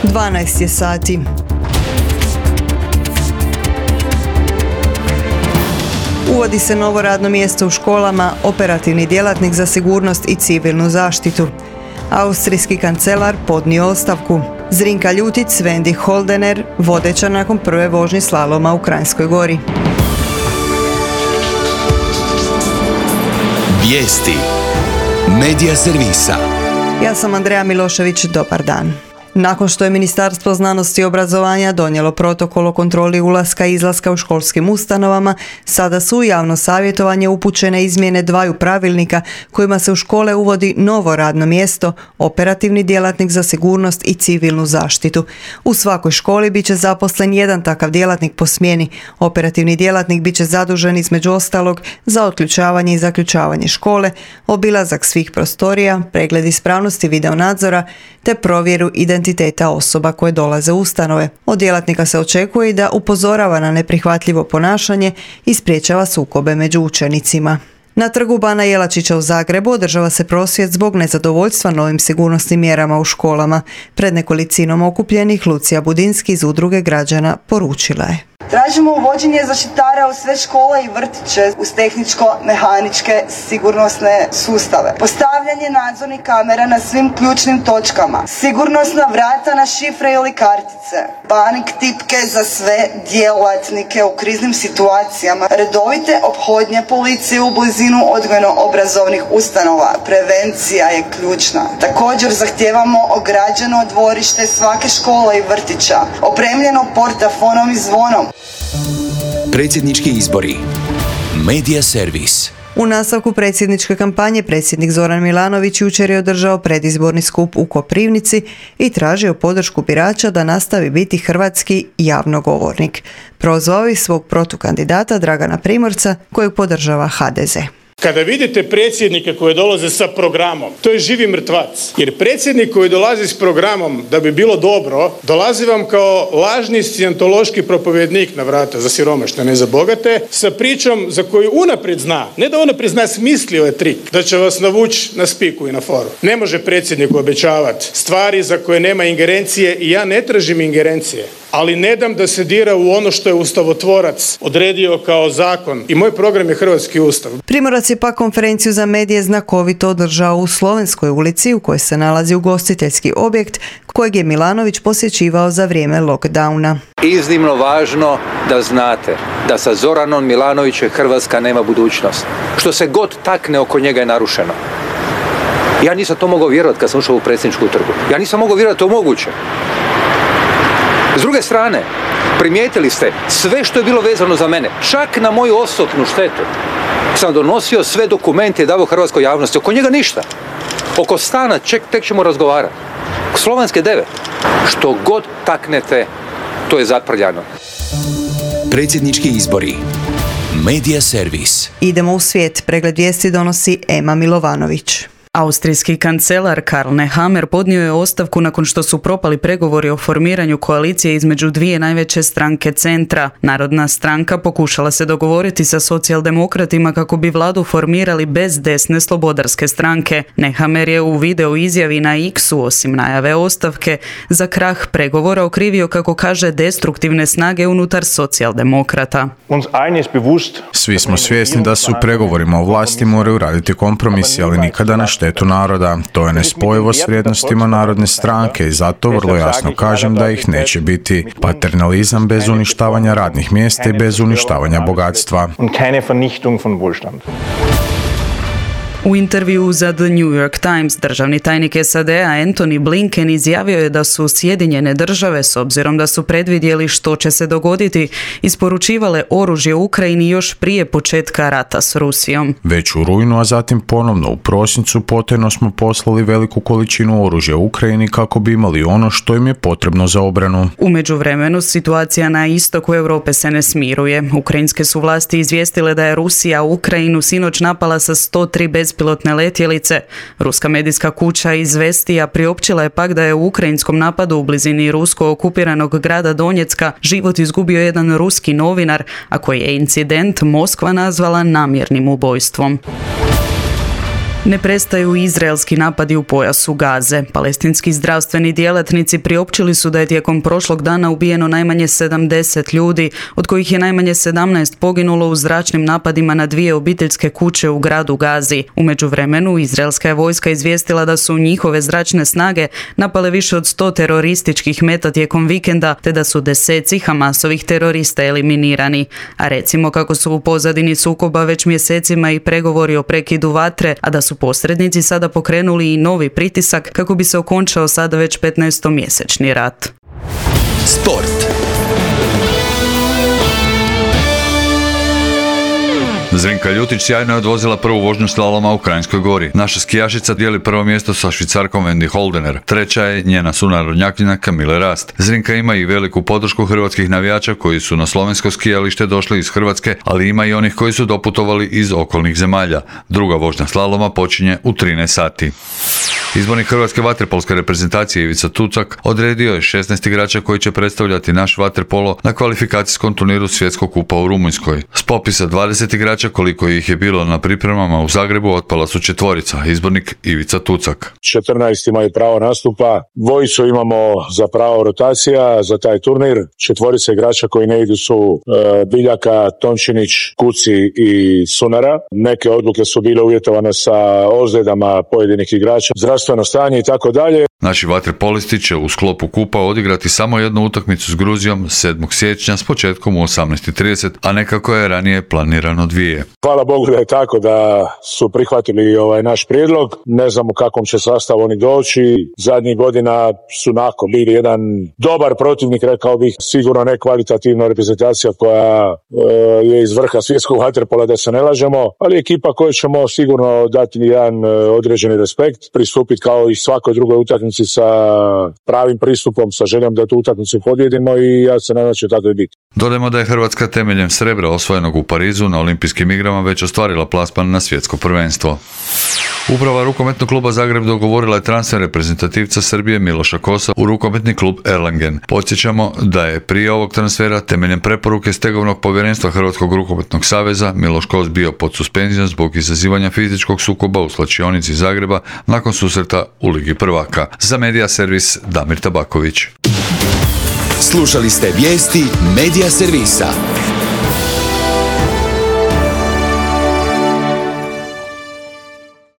12 je sati. Uvodi se novo radno mjesto u školama, operativni djelatnik za sigurnost i civilnu zaštitu. Austrijski kancelar podnio ostavku. Zrinka Ljutic, Svendi Holdener, vodeća nakon prve vožnje slaloma u Kranjskoj Gori. Vijesti Medija servisa. Ja sam Andreja Milošević, dobar dan. Nakon što je Ministarstvo znanosti i obrazovanja donijelo protokol o kontroli ulaska i izlaska u školskim ustanovama, sada su u javno savjetovanje upućene izmjene dvaju pravilnika kojima se u škole uvodi novo radno mjesto, operativni djelatnik za sigurnost i civilnu zaštitu. U svakoj školi bit će zaposlen jedan takav djelatnik po smjeni. Operativni djelatnik bit će zadužen između ostalog za otključavanje i zaključavanje škole, obilazak svih prostorija, pregled ispravnosti videonadzora te provjeru identiteta osoba koje dolaze u ustanove. Od djelatnika se očekuje i da upozorava na neprihvatljivo ponašanje i sprječava sukobe među učenicima. Na trgu Bana Jelačića u Zagrebu održava se prosvjed zbog nezadovoljstva novim sigurnosnim mjerama u školama. Pred nekolicinom okupljenih Lucija Budinski iz Udruge građana poručila je: Tražimo uvođenje zaštitara u sve škole i vrtiće uz tehničko-mehaničke sigurnosne sustave. Postavljanje nadzornih kamera na svim ključnim točkama. Sigurnosna vrata na šifre ili kartice. Panik tipke za sve djelatnike u kriznim situacijama. Redovite ophodnje policije u blizinu odgojno-obrazovnih ustanova. Prevencija je ključna. Također zahtijevamo ograđeno dvorište svake škole i vrtića. Opremljeno portafonom i zvonom. Predsjednički izbori. Medija servis. U nastavku predsjedničke kampanje predsjednik Zoran Milanović jučer je održao predizborni skup u Koprivnici i tražio podršku birača da nastavi biti hrvatski javnogovornik. Prozvao je svog protukandidata Dragana Primorca kojeg podržava HDZ. Kada vidite predsjednike koji dolaze sa programom, to je živi mrtvac. Jer predsjednik koji dolazi s programom da bi bilo dobro, dolazi vam kao lažni scijentološki propovjednik na vrata za siromašne, ne za bogate, sa pričom za koju unaprijed zna, ne da unaprijed zna, smislio je trik, da će vas navući na spiku i na foru. Ne može predsjedniku obećavati stvari za koje nema ingerencije i ja ne tražim ingerencije, ali ne dam da se dira u ono što je ustavotvorac odredio kao zakon. I moj program je Hrvatski ustav. Primorac je pak konferenciju za medije znakovito održao u Slovenskoj ulici u kojoj se nalazi ugostiteljski objekt kojeg je Milanović posjećivao za vrijeme lockdowna. Iznimno važno da znate da sa Zoranom Milanovićem Hrvatska nema budućnost. Što se god takne oko njega je narušeno. Ja nisam to mogao vjerovati kad sam ušao u predsjedničku trgu. Ja nisam mogao vjerovati to moguće. S druge strane, primijetili ste sve što je bilo vezano za mene, čak na moju osobnu štetu. Sam donosio sve dokumente i davao hrvatskoj javnosti. Oko njega ništa. Oko stana tek ćemo razgovarati. Slovenske 9. Što god taknete, to je zaprljano. Predsjednički izbori. Medija servis. Idemo u svijet. Pregled vijesti donosi Ema Milovanović. Austrijski kancelar Karl Nehammer podnio je ostavku nakon što su propali pregovori o formiranju koalicije između dvije najveće stranke centra. Narodna stranka pokušala se dogovoriti sa socijaldemokratima kako bi vladu formirali bez desne slobodarske stranke. Nehammer je u video izjavi na X-u, osim najave ostavke, za krah pregovora okrivio, kako kaže, destruktivne snage unutar socijaldemokrata. Svi smo svjesni da se u pregovorima o vlasti moraju raditi kompromisi, ali nikada na štetu naroda. To je nespojivo s vrijednostima narodne stranke i zato vrlo jasno kažem da ih neće biti. Paternalizam bez uništavanja radnih mjesta i bez uništavanja bogatstva. U intervjuu za The New York Times državni tajnik SAD-a Antony Blinken izjavio je da su Sjedinjene države, s obzirom da su predvidjeli što će se dogoditi, isporučivale oružje Ukrajini još prije početka rata s Rusijom. Već u rujnu, a zatim ponovno u prosincu, potajno smo poslali veliku količinu oružja Ukrajini kako bi imali ono što im je potrebno za obranu. U međuvremenu situacija na istoku Europe se ne smiruje. Ukrajinske su vlasti izvijestile da je Rusija Ukrajinu sinoć napala sa 103 bespilotne letjelice. Ruska medijska kuća Izvestija priopćila je pak da je u ukrajinskom napadu u blizini rusko okupiranog grada Donjecka život izgubio jedan ruski novinar, a koji je incident Moskva nazvala namjernim ubojstvom. Ne prestaju izraelski napadi u pojasu Gaze. Palestinski zdravstveni djelatnici priopćili su da je tijekom prošlog dana ubijeno najmanje 70 ljudi, od kojih je najmanje 17 poginulo u zračnim napadima na 2 obiteljske kuće u gradu Gazi. U međuvremenu, izraelska je vojska izvijestila da su njihove zračne snage napale više od 100 terorističkih meta tijekom vikenda, te da su deseci Hamasovih terorista eliminirani. A recimo kako su u pozadini sukoba već mjesecima i pregovori o prekidu vatre, a da su posrednici sada pokrenuli i novi pritisak kako bi se okončao sada već 15-mjesečni rat. Sport. Zrinka Ljutić sjajno je odvozila prvu vožnju slaloma u Kranjskoj Gori. Naša skijašica dijeli prvo mjesto sa Švicarkom Wendy Holdener. Treća je njena sunarodnjakinja Kamile Rast. Zrinka ima i veliku podršku hrvatskih navijača koji su na slovensko skijalište došli iz Hrvatske, ali ima i onih koji su doputovali iz okolnih zemalja. Druga vožnja slaloma počinje u 13 sati. Izbornik hrvatske vaterpolske reprezentacije Ivica Tucak odredio je 16 igrača koji će predstavljati naš vaterpolo na kvalifikacijskom turniru Svjetskog kupa u Rumunjskoj. S popisa 20 igrača koliko ih je bilo na pripremama u Zagrebu otpala su 4, izbornik Ivica Tucak. 14 imaju pravo nastupa, 2 imamo za pravo rotacija za taj turnir, 4 igrača koji ne idu su Biljaka, Tončinić, Kuci i Sunara. Neke odluke su bile uvjetovane sa ozljedama pojedinih igrača, zdravstveno stanje i tako dalje. Naši vaterpolisti će u sklopu kupa odigrati samo jednu utakmicu s Gruzijom 7. siječnja s početkom u 18:30, a ne kako je ranije planirano 2. Hvala Bogu da je tako, da su prihvatili naš prijedlog. Ne znam u kakvom će sastavu oni doći. Zadnjih godina su bili jedan dobar protivnik, rekao bih, sigurno ne kvalitativna reprezentacija koja je iz vrha svjetskog vaterpola, da se ne lažemo, ali ekipa koju ćemo sigurno dati jedan određeni respekt, pristupiti kao i svakoj drugoj utakmici sa pravim pristupom, sa željom da tu utakmicu pobjedimo i ja se nadam da će tako i biti. Dodajmo da je Hrvatska temeljem srebra osvojenog u Parizu na olimpijskim igrama već ostvarila plasman na svjetsko prvenstvo. Uprava rukometnog kluba Zagreb dogovorila je transfer reprezentativca Srbije Miloša Kosa u rukometni klub Erlangen. Podsjećamo da je prije ovog transfera temeljem preporuke stegovnog povjerenstva Hrvatskog rukometnog saveza Miloš Kos bio pod suspenzijom zbog izazivanja fizičkog sukoba u slačionici Zagreba nakon susreta u Ligi prvaka. Za Medija servis Damir Tabaković. Slušali ste vijesti Medija servisa.